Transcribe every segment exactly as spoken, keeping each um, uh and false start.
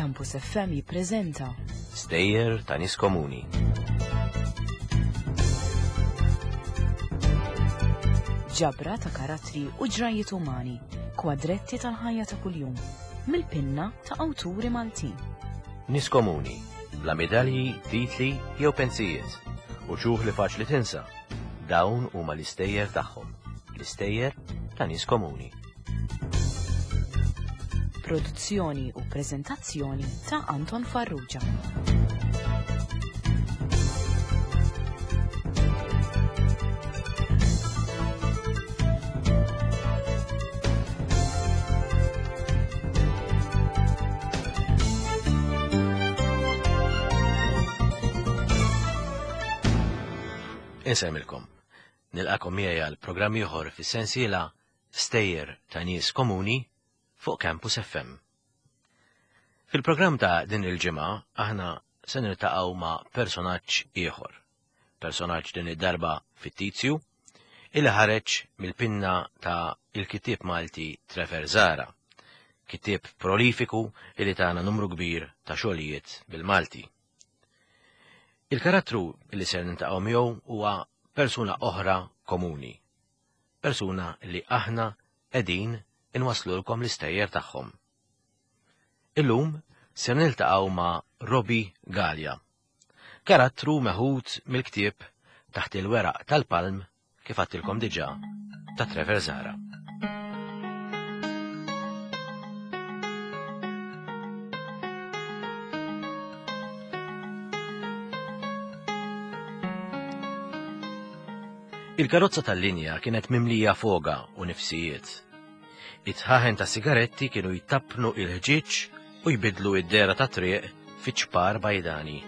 Campus F M jippreżenta Stejjer ta' nies komuni. Ġabra ta' karattri u ġrajiet umani, kwadretti tal-ħajja ta' kuljum, mill-pinna ta' awturi Maltin. Nies komuni, bla medalji, titli jew pensijiet, u ċuħ li faċli tinsa. Dawn huma l-istejjer tagħhom, l-istejjer ta' nies komuni. Produzzjoni u preżentazzjoni ta' Anton Farrugia. Insemmilkom. Nilqakom miegħi għal programm ieħor fis-sensiela Stejjer ta' Nies Komuni fuq Campus F M. Fil-programm ta' din il-ġimgħa aħna se niltaqgħu ma' personaġġ ieħor. Personaġġ din id-darba fittizju illi ħareġ mill-pinna ta' il-kittieb Malti Trevor Zahra, kittieb prolifiku illi tana numru kbir ta' xogħlijiet bil-Malti. Il-karattru li ser niltaqgħu miegħu huwa persuna oħra komuni, persuna li aħna qegħdin inwaslulkom l-istejjer tagħhom. Illum ser niltaqgħu ma' Robbie Galea, karattru meħud mill-ktieb Taħt il-weraq tal-palm kif għadtilkom diġà ta' Trevor Zahra. Il-karozza tal-linja kienet mimlija foga u nifsijiet. It-tħaħen ta' sigaretti kienu jtappnu il-ħġieġ u jbidlu id-dera ta' triq fi ċpar bajdani.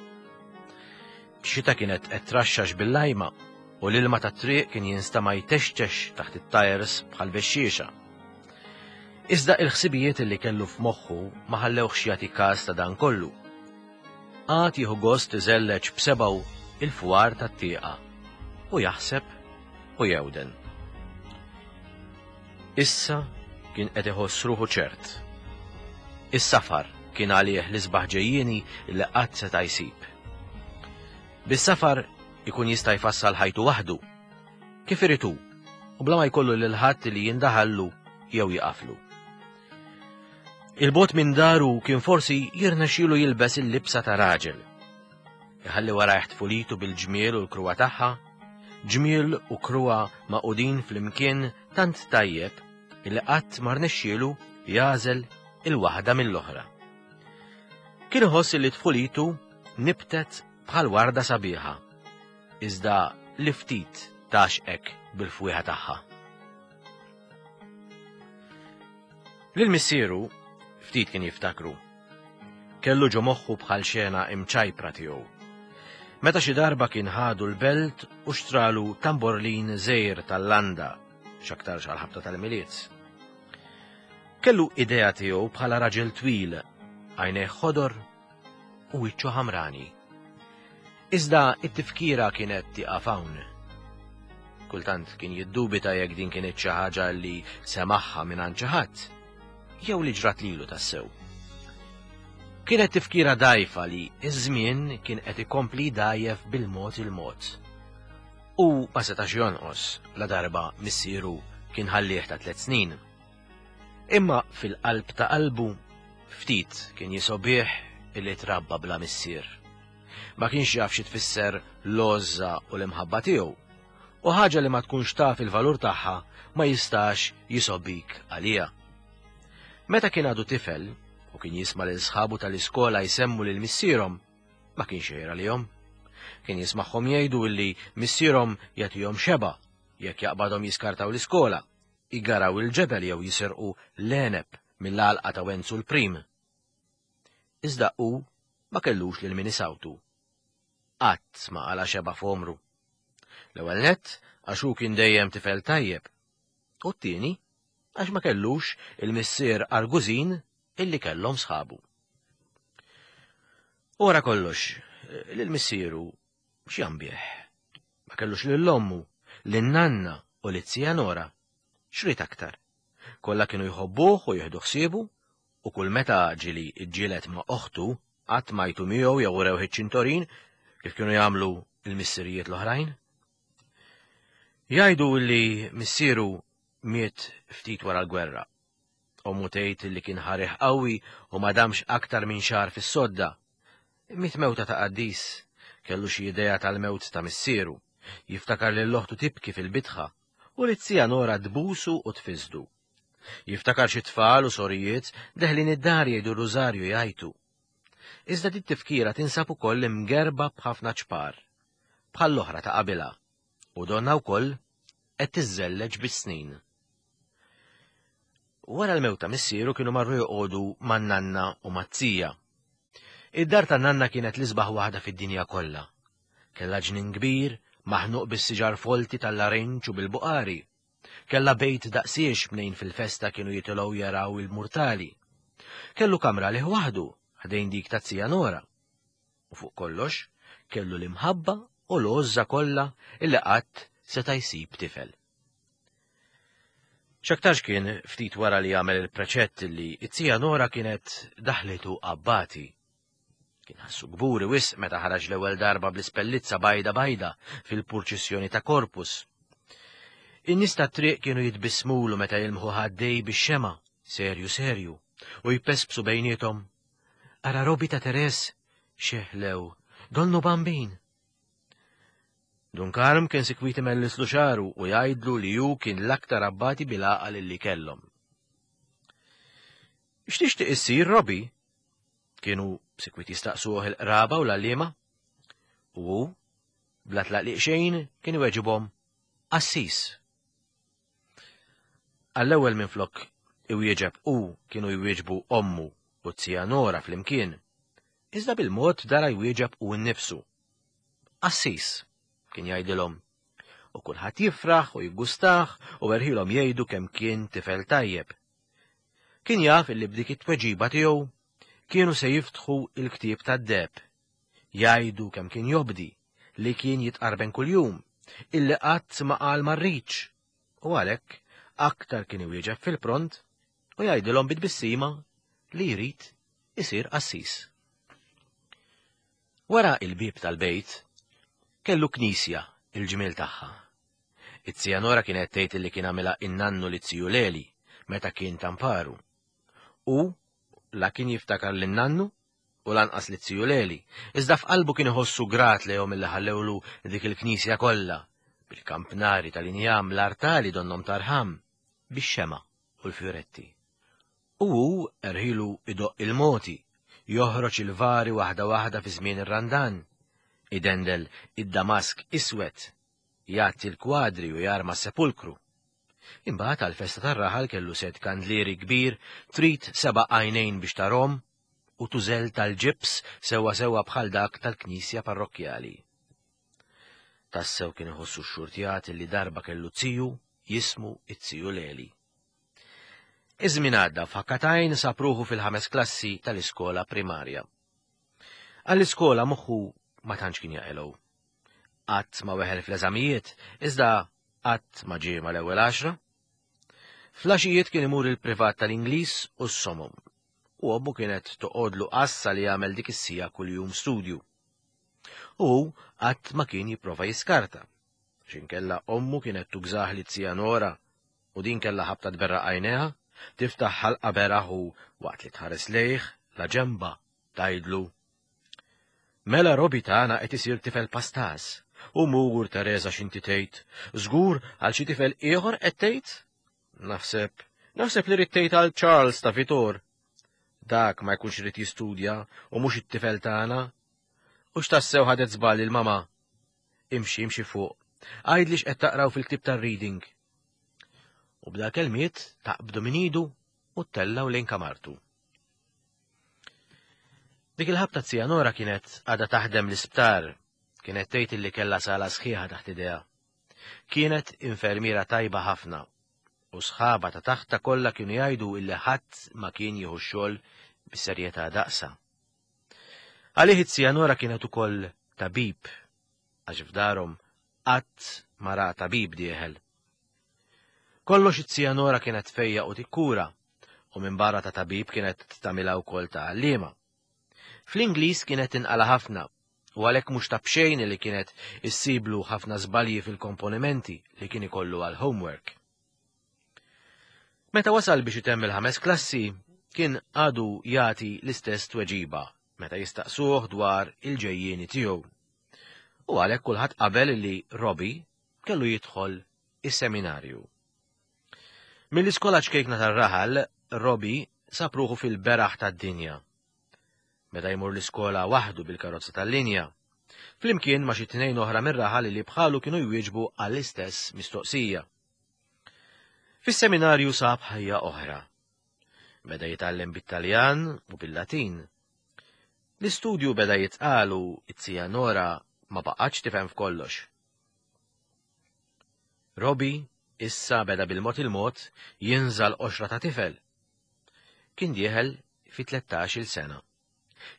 Xita kienet qed traxxax bil-lajma u l-ilma ta' triq kien jinstama' jtextex taħt it-tajers bħal bexxiexa. Iżda il-ħsibijiet li kellu f'moħħu ma ħallewx jagħti każ ta' dan kollu. Għad jieħu gost iżelleġ b'sebgħu il-fwar tat-tieqa u jaħseb u jewden. Issa kien qed iħoss ruħu ċert. Is-safar kien għalih l-isbaħ ġejjieni li qatt seta' jsib. Bis-safar ikun jista' jfassal ħajtu waħdu, kif irid hu, u bla ma jkollu lil ħadd li jindaħallu jew jiqaflu. Il-bot minn daru kien forsi jirnexxielu jilbes il-libsa ta' raġel. Iħalli warajh tfulitu bil-ġmiel u l-kruwa tagħha, ġmiel u kruwa maqudin flimkien tant tajjeb illi qatt ma rnexxielu jażel il-waħda mill-oħra. Kien iħoss li tfulitu nibtet bħal warda sabiħa, iżda li ftit taxqek bil-fwieħa tagħha. Lil missieru ftit kien jiftakru. Kellu ġo moħħu bħal xena imċajpra tiegħu. Meta xi darba kien ħadu l-belt u xtralu tamborlin żgħir tal-landa, x'aktarx għall-ħabta tal-Milied. Kellu idea tiegħu bħala raġel twil, għajnejh ħodor u wiċċu ħamrani. Iżda it-tifkira kienet tieqaf hawn. Kultant kien jiddubita jekk din kienet xi ħaġa li semaħħa minn xi ħadd, jew li ġrat lilu tassew. Kienet tifkira dajfa li iż-żmien kien qed ikompli dajjef bil-mod il-mod. U ma setax jonqos la darba missieru kien ħallih ta' tliet snin. Imma fil-qalb ta' qalbu ftit kien jisobih illi trabba bla missier. Ma kienx jaf xi tfisser l-għożża u l-imħabba tiegħu, u ħaġa li ma tkunx taf il-valur tagħha ma jistax jisobik għaliha. Meta kien għadu tifel u kien jisma' lil sħabu tal-iskola jsemmu lil missierhom, ma kienx jgħir għalihom. Kien jismagħhom jgħidu illi missierhom jagħtihom xeba jekk jaqbadhom jiskartaw l-iskola, jgaraw il-ġebel jew jisirqu l-għeneb mill-għalqa ta' Wenzu l-Prim. Iżda hu ma kellux lil min isawtu. Qatt ma qala xeba f'għomru. L-ewwel nett għax hu kien dejjem tifel tajjeb, u t-tieni għax ma kellux il-missier argużin illi kellhom sħabu. U wara kollox, lil missieru x'jambih? Ma kellux lil ommu, lin nanna u lil zija Nora. X'rid aktar? Kollha kienu jħobbuh u jieħdu ħsiebu U kull meta ġieli ġġieled ma' oħtu, qatt m'għajtu miegħu jew urewh iċ-ċintorin kif kienu jagħmlu l-missirijiet l-oħrajn. Jgħidu li missieru miet ftit wara l-gwerra. Ommu tgħid li kien ħarih qawwi u ma damx aktar minn xahar fis-sodda. Miet mewta ta' qaddis, kellu xi idea tal-mewt ta' missieru, jiftakar lil oħtu tibki fil-bitħa u li t-zija Nora tbusu u tfisdu. Jiftakar xi tfal u sorijiet deħlin id-dar jgħidu r-rużarju jgħajtu. Iżda dit tifkira tinsab ukoll imgerba b'ħafna ċpar, bħall-oħra ta' qabilha, u donna wkoll qed tiżżelleġ bis-snin. Wara l-mewt ta' missieru kienu marru joqogħdu man-nanna u mat-tija. Id-dar tan-nanna kienet l-isbaħ waħda fid-dinja kollha. Kellha ġnien kbir, maħnuq bis-siġar folti tal-larinġ u bil-buqari. Kellha bejt daqsiex mnejn fil-festa kienu jitilgħu jaraw il-murtali. Kellu kamra lih waħdu, ħdejn dik ta' zija Nora. U fuq kollox, kellu l-imħabba u l-għożża kollha illi qatt seta' jsib tifel. X'aktarx kien ftit wara li għamel il-preċett li it-zija Nora kienet daħlitu abbati. Kien ħassu kburi wisq meta ħaraġ l-ewwel darba bl-ispellizza bajda bajda fil-purċissjoni ta' Corpus. In-nies tat-triq kienu jitbissmulu meta jilmħu ħaddej bix-xema, serju serju, u jpespsu bejniethom. Ara Robi ta' Teres, xeħlew, donnu bambin. Dun Karm kien sikwit imellislu xagħru u jgħidlu li hu kien l-aktar abbati bil-għaqal li kellhom. X'tixtieq issir, Robi? Kienu sikwit jistaqsuh il-qraba u l-għalliema. U hu, bla tlaqliq xejn, kien iweġibhom qassis. Għall-ewwel minflok iwieġeb u kienu jwieġbu ommu u t-zija Nora flimkien. Iżda bil-mod dara jwieġeb u nnifsu. Qassis, kien jgħidilhom. U kulħadd jifraħ u jiggustah u erħilhom jgħidu kemm kien tifel tajjeb. Kien jaf illi b'dik it-tweġiba tiegħu kienu se jiftħu il-ktieb tad-deheb. Jgħidu kemm kien jobdi, li kien jitqarben kuljum, illi qatt ma qal ma rridx. U għalhekk aktar kien iwieġeb fil-pront u jgħidilhom bit-tbissima li jrid isir qassis. Wara il-bieb tal-bejt kellu knisja il-ġmiel tagħha. It-zija Nora kienet tgħid li kien għamilha in-nannu li ziju Leli meta kien tamparu. U la kien jiftakar lin-nannu u lanqas li ziju Leli, iżda f'qalbu kien iħossu grat lejhom illi ħallewlu dik il-knisja kollha, bil-kampnari tal-injam, l-artali donnom tarħam, bix-xema u l-fjuretti. U hu erħilu idoqq il-moti, joħroġ il-vari waħda waħda fi żmien ir-Randan, idendel id-damask iswed, jgħatti l-kwadri u jarma s-sepulkru. Imbagħad għall-festa tar-raħal kellu set kandlieri kbir, trid seba' għajnejn biex tarhom u tużel tal-ġibs sewwa sewwa bħal dak tal-knisja parrokkjali. Tassew kien iħossu xxurtjat li darba kellu ziju jismu it-ziju Leli. Iż-żmien għadda f'ħakkatajn sab ruħu fil-ħames klassi tal-iskola primarja. Għall-iskola moħħu ma tantx kien jaqilgħu. Qatt ma weħel fl-eżamijiet, iżda qatt ma ġie mal-ewwel għaxra. Flaxijiet kien imur il-privat tal-Ingliż u s-somom, u ommu kienet toqgħodlu qassa li jagħmel dik is-sija kuljum studju. U hu qatt ma kien jipprova jiskarta, x'inkella ommu kienet tugżah li zija Nora u din kellha ħabta tberraq għajnejha, tiftaħ ħalqa beraħ u waqt li tħares lejh la ġemba tgħidlu: Mela Robi tagħna qed isir tifel pastas, u mur Teresa x'inti tgħid, żgur għal xi tifel ieħor qed tgħid? Naħseb, naħseb li rid tgħid għal Charles ta' Vitor. Dak ma jkunx irid jistudja u mhux it-tifel tagħna. U x'tassew ħadet żball il-mama? Imxi, imxi fuq. Għidli x'qed taqraw fil-ktieb tar-reading. U bda kelmiet taqbdu minn idu u tellgħu lejn kamartu. Dik il-ħabta zija Nora kienet għadha taħdem l-isptar, kienet tgħid illi kellha sala sħiħa taħt idejha. Kienet infermiera tajba ħafna, u sħaba ta' taħta kollha kienu jgħidu illi ħadd ma kien jieħu x-xogħol bis-serjetà daqsa. Għalih it-zija Nora kienet ukoll tabib, għax f'darhom qatt ma ra tabib dieħel. Kollox it-zija Nora kienet fejja u tikkura, u minn barra ta' tabib kienet tagħmilha wkoll ta' għalliema. Fl-Ingliż kienet tinqala ħafna u għalhekk mhux ta' b'xejn li kienet issiblu ħafna żbalji fil-komponimenti li kien ikollu għal homework. Meta wasal biex itemm il-ħames klassi, kien għadu jagħti l-istess tweġiba meta jistaqsuh dwar il-ġejjieni tiegħu. U għalhekk kulħadd qabel li Robbie kellu jidħol is-seminarju. Mill-iskola ċkejkna tar-raħal, Robbie sab ruħu fil-beraħ tad-dinja. Meta jmur l-iskola waħdu bil-karozza tal-linja, flimkien ma' xi tnejn oħra mir-raħal li bħalu kienu jwieġbu għall-istess mistoqsija. Fis-seminarju sab ħajja oħra. Beda jitgħallem bit-Taljan u bil-Latin. L-istudju beda jitqal u t-tija Nora ma baqgħetx tifhem f'kollox. Robbie issa beda bil-mod il-mod jinżal qoxra ta' tifel. Kien dieħel fi tlettax-il sena.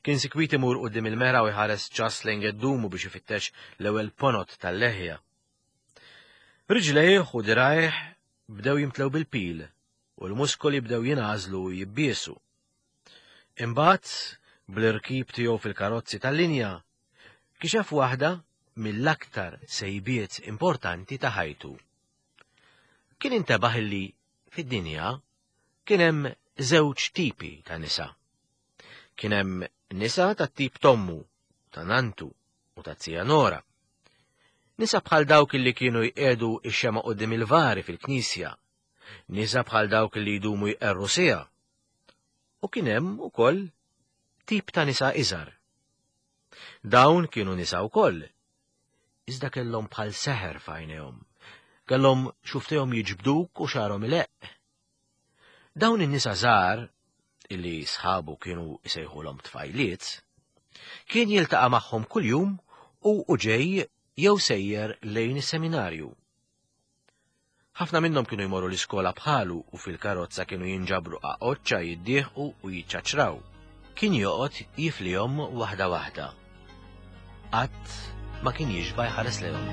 Kien sikwit imur quddiem il-mera u jħares ċas lejn geddumu biex ifittex l-ewwel ponot tal-leħja. Riġlejh u dirajh bdew jimtlew bil-pil u l-muskoli bdew jingħażlu u jibbiesu. Imbagħad, bl-irkib tiegħu fil-karozzi tal-linja, kixef waħda mill-aktar sejbiet importanti ta' ħajtu. Kien intebaħ illi fid-dinja kien hemm żewġ tipi ta' nisa. Kien hemm nisa tat-tip tommu, ta' nantu u ta' tija Nora. Nisa bħal dawk illi kienu jqedu ix-xema quddiem il-vari fil-knisja, nisa bħal dawk illi jdumu jqerru sija. U kien hemm ukoll tip ta' nisa iżgħar. Dawn kienu nisa wkoll, iżda kellhom bħal seħer f'għajnejhom, kellhom xuftejhom jiġbduk u xagħarhom ileqq. Dawn in-nisa żgħar, illi sħabu kienu jsejħulhom tfajliet, kien jiltaqa' magħhom kuljum u u ġej jew sejjer lejn is-seminarju. Ħafna minnhom kienu jmorru l-iskola bħalu u fil-karozza kienu jinġabru qaqoċċa jiddieħqu u jiċċaċraw. Kien joqgħod jiflihom waħda waħda. Qatt ma kien jixba' jħares lejhom.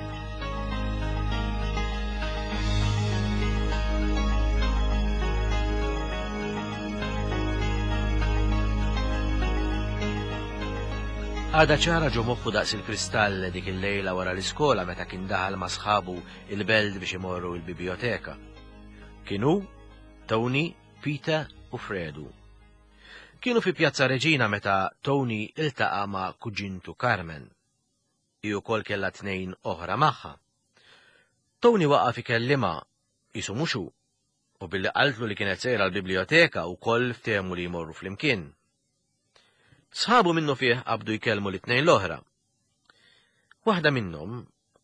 Għada ċara ġo moħħu daqs il-kristall dik il-lejla wara l-iskola meta kien daħal ma' sħabu il-belt biex imorru il-biblioteka. Kienu Tony, Peter u Fredu. Kienu fi Pjazza Reġina meta Tony iltaqa' ma' kuġintu Carmen. Hi wkoll kellha tnejn oħra magħha. Tony waqaf ikellima qisu mhux hu, u billi qaltlu li kienet sejra l-biblioteka wkoll ftehmu li jmorru flimkien. Sħabu minnu fih qabdu jkellmu l-tnejn l-oħra. Waħda minnhom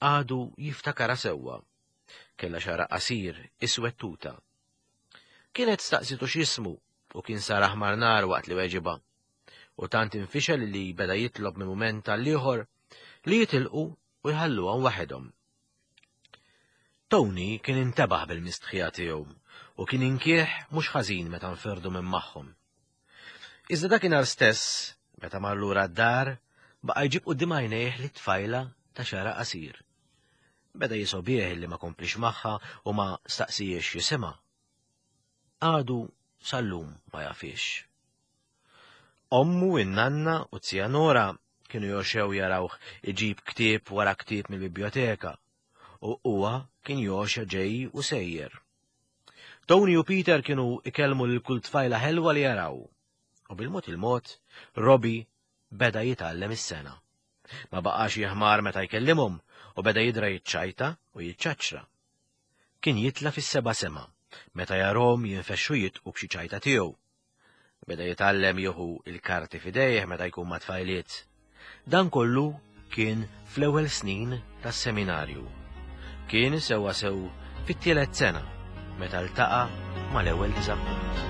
għadu jiftakara sewwa. Kellha xara qasir, iswed tuta. Kienet staqsitu x'ismu u kien sar aħmar nar waqt li weġiba. U tant infixel li beda jitlob minn mument għall-ieħor li jitilqu u jħalluhom waħedhom. Tony kien intebaħ bil-mistħija tiegħu u kien inkieħ mhux ħażin meta nferdu minn magħhom. Iżda dakinhar stess, meta mar lura d-dar, baqa' jġib quddiem għajnejh li tfajla ta' xara qasir. Beda jisobih li ma komplix magħha u ma staqsijiex jisimha. Għadu sal-lum ma jafix. Ommu, in-nanna u tija Nora kienu joxew jarawh iġib ktieb wara ktieb mill-biblioteka u huwa kien joxa ġej u sejjer. Tony u Peter kienu ikellmu lil kull tfajla ħelwa li jaraw. U bil-mod il-mod, Robbie beda jitgħallem is-sena. Ma baqax jeħmar meta jkellimhom u beda jidra jiċċajta u jiċċaċra. Kien jitla fis-seba' sema meta jarhom jinfexxu jitqu b'xi ċajta tiegħu. Beda jitgħallem jieħu il-karti f'idejh meta jkun ma' tfajliet. Dan kollu kien fl-ewwel snin tas-seminarju. Kien sewwa sew fit-tielet sena meta ltaqa' mal-ewwel diżappunt.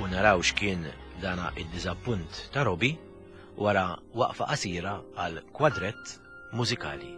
U naraw x'kien dana id-diżappunt ta' Robbie wara waqfa qasira għal kwadrett mużikali.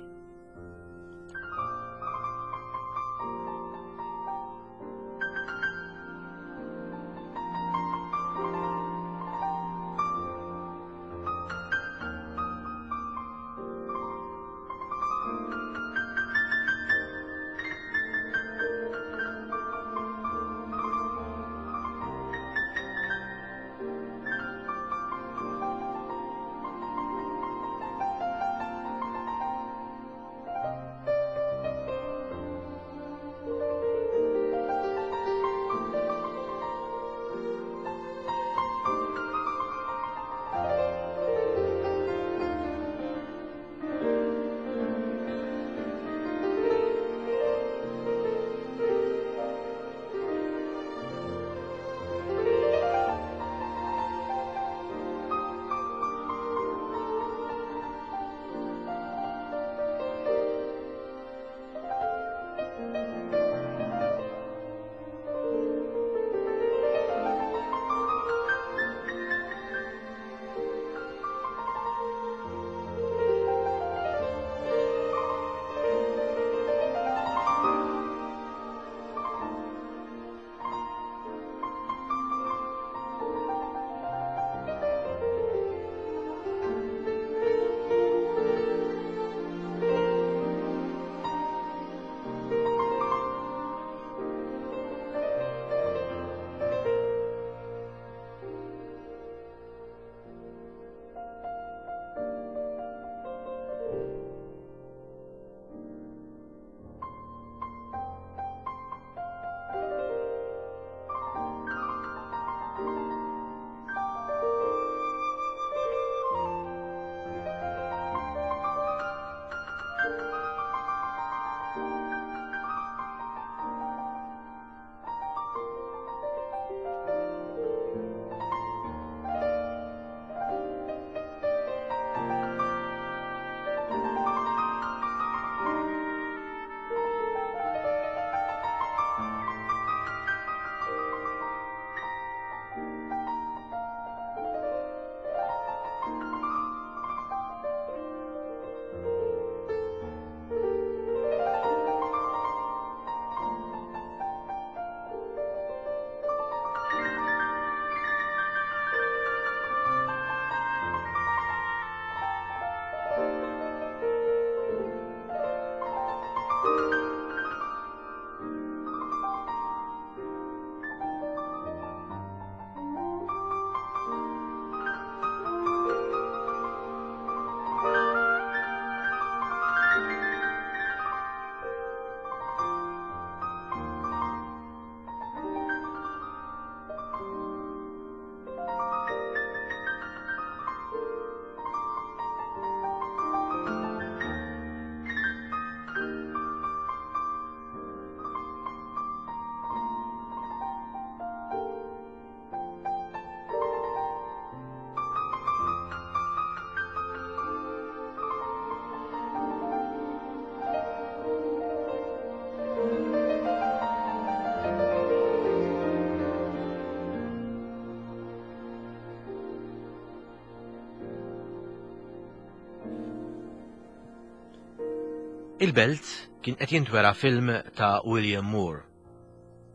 Il-belt kien qed jintwera film ta' William Moore.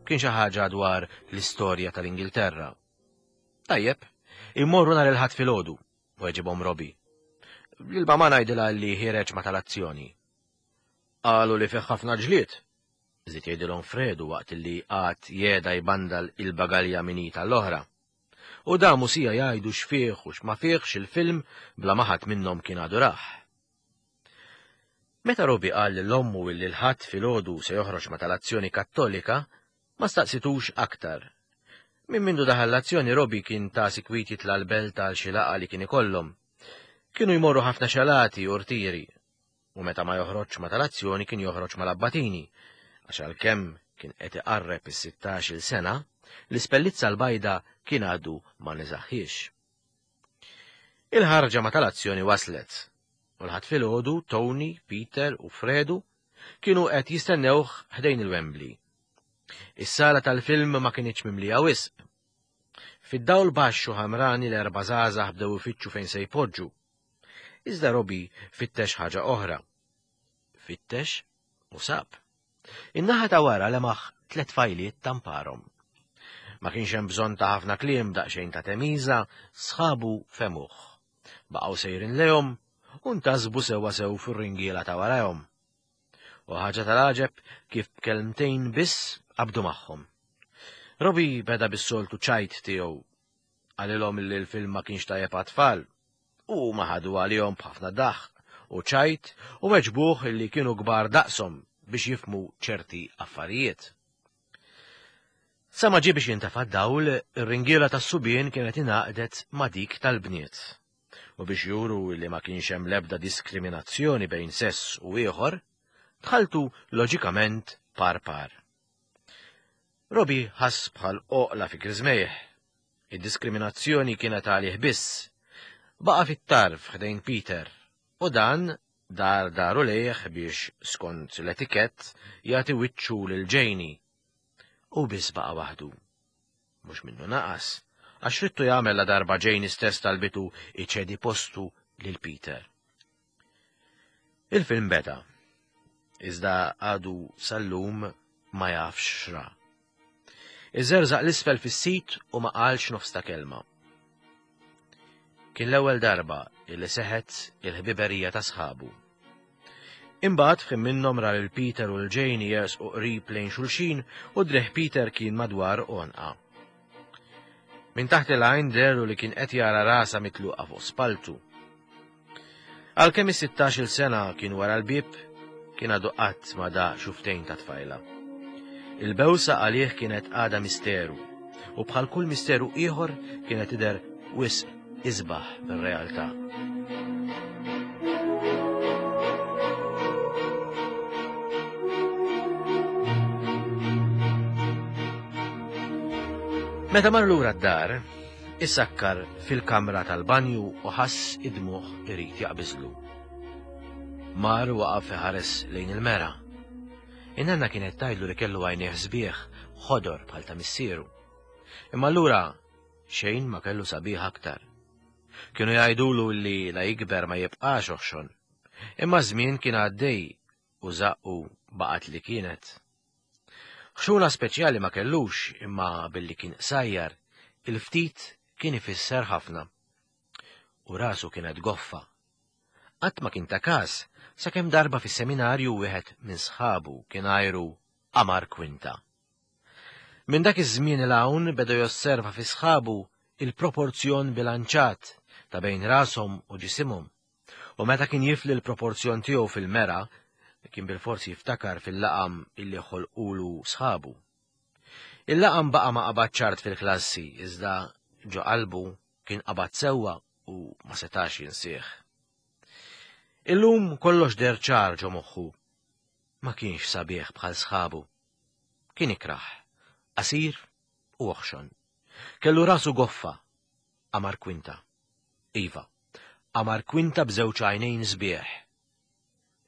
Kien xi ħaġa dwar l-istorja tal-Ingilterra. Tajjeb, immorru nhar il-Ħadd filgħodu, weġibhom Robbie. Lil ma ngħidilha li ħiereġ ma tal-azzjoni. Qalu li fih ħafna ġlied, żied jgħidilhom Fredu waqt li qagħad jeda jbandal il-bagalja minita l-oħra. U damu sija jgħidu x'fih u x'ma fihx il-film bla ma ħadd minnhom kien għadu rah. Meta Robbie qal lil ommu illi l-Ħadd filgħodu se joħroġ ma tal-azzjoni Kattolika, ma staqsitux aktar. Minn mindu daħal l-azzjoni Robbie kien ta' sikwit jitla' l-belt għal xi laqgħa li kien ikollhom. Kienu jmorru ħafna xalati u rtiri, u meta ma joħroġx ma tal-azzjoni kien joħroġ mal-abbatini, għax għalkemm kien qed iqarreb is-sittax-il sena, l-ispellizza l-bajda kien għadu ma niżaħħiex. Il-ħarġa ma tal-azzjoni waslet, u l-Ħadd filgħodu Tony, Peter u Fredu kienu qed jistennewh ħdejn il-Wembley. Is-sala tal-film ma kinitx mimlija wisq. Fid-dawl baxx u ħamrani l-erba' żgħażagħ bdew ifittxu fejn se jpoġġu. Iżda Robbie fittex ħaġa oħra. Fittex u sab. In-naħa ta' wara lemaħ tliet fajliet tamparhom. Ma kienx hemm bżonn ta' ħafna kliem, daqsxejn ta' temiża, sħabu femuh. Baqgħu sejrin lejhom u ntasbu sewwa sew fir-ringiela ta' warahom. U ħaġa tal-għaġeb kif b'kelmtejn biss qabdu magħhom. Robbie beda bis-soltu ċajt tiegħu. Qalilhom li l-film ma kienx tajjeb għat-tfal. U ma ħadu għalihom b'ħafna daħq u ċajt u weġbuh li kienu kbar daqshom biex jifhmu ċerti affarijiet. Sa ma ġie biex jintefa' d-dawl, ir-ringiela tas-subien kienet ingħaqdet ma' dik tal-bniet. U biex juru li ma kienx hemm l-ebda diskriminazzjoni bejn sess u ieħor, tħalltu loġikament par par. Robbie ħass bħal oqla fi griżmejh. Id-diskriminazzjoni kienet għalih biss. Baqa' fit-tarf ħdejn Peter, u dan dar daru lejh biex skont l-etikett jagħti wiċċu lil Janie. U biss baqa' waħdu. Mhux minnu naqas, għax rittu jagħmel la darba Janie stess talbitu iċedi postu lil Peter. Il-film beda, iżda għadu sal-lum ma jafx x'ra. Iżerżaq l-isfel fis-sit u ma qalx nofs ta' kelma. Kien l-ewwel darba illi seħet il-ħbiberija ta' sħabu. Imbagħad f'ħin minnhom ra lil Peter u l-Janie jersqu qrib lejn xulxin u driegħ Peter kien madwar għonqa. Minn taħt il-għajn dehru li kien qed jara rasa mitluqa fuq spaltu. Għalkemm is-sittax-il sena kien wara l-bieb, kien għadu qatt ma daq xuftejn ta' tfajla. Il-bewsa għalih kienet għada misteru, u bħal kull misteru ieħor kienet tidher wisq isbaħ mir-realtà. Meta mar lura d-dar, issakkar fil-kamra tal-banju u ħass id-dmugħ irid jaqbiżlu. Mar waqaf iħares lejn il-mera. In-nanna kienet tgħidlu li kellu għajnejh sbieħ ħodor bħal ta' missieru. Imma allura xejn ma kellu sabiħ aktar. Kienu jgħidulu li la jikber ma jibqax oħxon. Imma żmien kien għaddej u żaqqu baqgħet li kienet. Ħxuna speċjali ma kellux, imma billi kien qsajjar, il-ftit kien ifisser ħafna. U rasu kienet goffa. Qatt ma kien ta' każ, sakemm darba fis-seminarju wieħed minn sħabu kien għajru Qamar Kwinta. Minn dak iż-żmien 'l hawn beda josserva fi sħabu il-proporzjon bilanċat ta' bejn rashom u ġisimhom. U meta kien jifli l-proporzjon tiegħu fil-mera, kien bil-forsi jiftakar fil-laqam illi ħolqulu sħabu. Il-laqam baqa' ma qabad ċart fil-klassi, iżda ġo qalbu kien qabad sewwa u ma setax jinsih. Illum kollox deher ċar ġo moħħu. Ma kienx sabiħ bħal sħabu. Kien ikrah, qasir u oħxon. Kellu rasu goffa, Qamar Kwinta. Iva, Qamar Kwinta b'żewġ għajnejn sbieħ.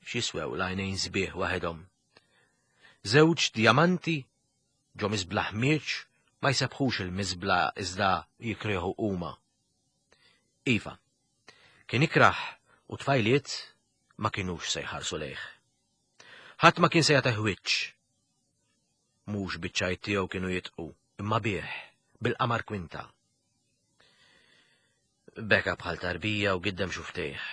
X'jiswew l-għajnejn sbieħ waħedhom? Żewġ djamanti ġo miżbla ħmieġ ma jsebħux il-miżbla iżda jikriħu huma. Iva, kien ikrah u tfajliet ma kinux se jħarsu lejh. Ħadd ma kien se jagħtih wiċċ. Mhux biċ-ċajt tiegħu kienu jitqu, imma bih, bil-qamar kwinta. Beka bħal tarbija u giddem xuftejh.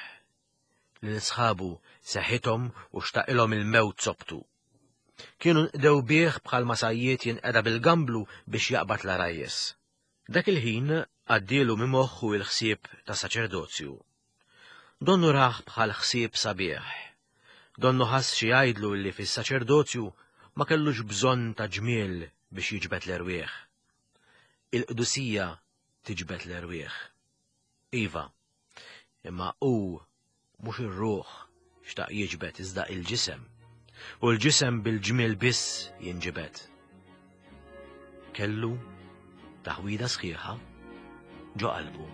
Lil sħabu seħithom u xtaqilhom il-mewt sobtu. Kienu nqdew bih bħal masajiet jinqeda bil-gamblu biex jaqbad l-arajjes. Dak il-ħin għaddielu minn moħħu il-ħsieb ta' saċerdozju. Donnu raħ bħal ħsieb sabiħ. Donnu ħass xi jgħidlu li fis-saċerdozju ma kellux bżonn ta' ġmiel biex jiġbed l-erwieħ. Il-qdusija tiġbed l-erwieħ. Iva, imma hu mhux ir-ruħ xtaq jiġbed iżda il-ġisem. U l-ġisem bil-ġmiel biss jinġibed. Kellu taħwida sħiħa ġo qalbu.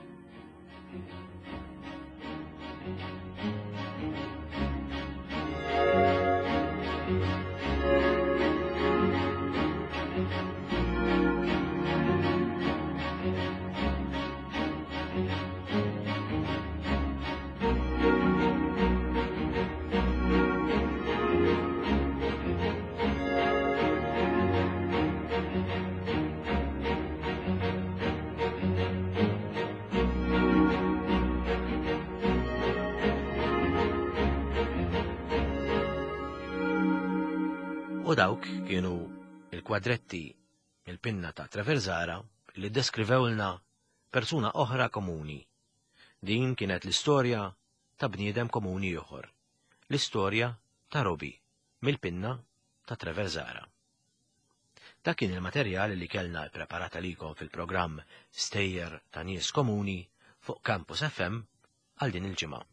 U dawk kienu il-kwadretti il-pinna ta' Trevor Zahra li ddeskrivewlna persuna oħra komuni. Din kienet l-istorja ta' bniedem komuni ieħor. L-istorja ta' Robi mill-pinna ta' Trevor Zahra. Dak kien il-materjal li kellna ppreparat għalikom fil-programm Stejjer ta' Nies Komuni fuq Campus F M għal din il-ġimgħa.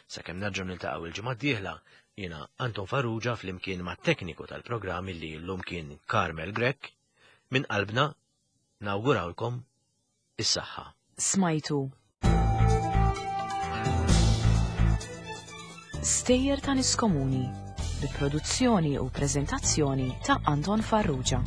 Sakemm nerġgħu niltaqgħu il-ġimgħa d-dieħla, jiena Anton Farrugia flimkien mat-tekniku tal-programm li llum kien Carmel Grech, minn qalbna nawgurawlkom is-saħħa. Smajtu Stejjer ta' Nies Komuni bi produzzjoni u preżentazzjoni ta' Anton Farrugia.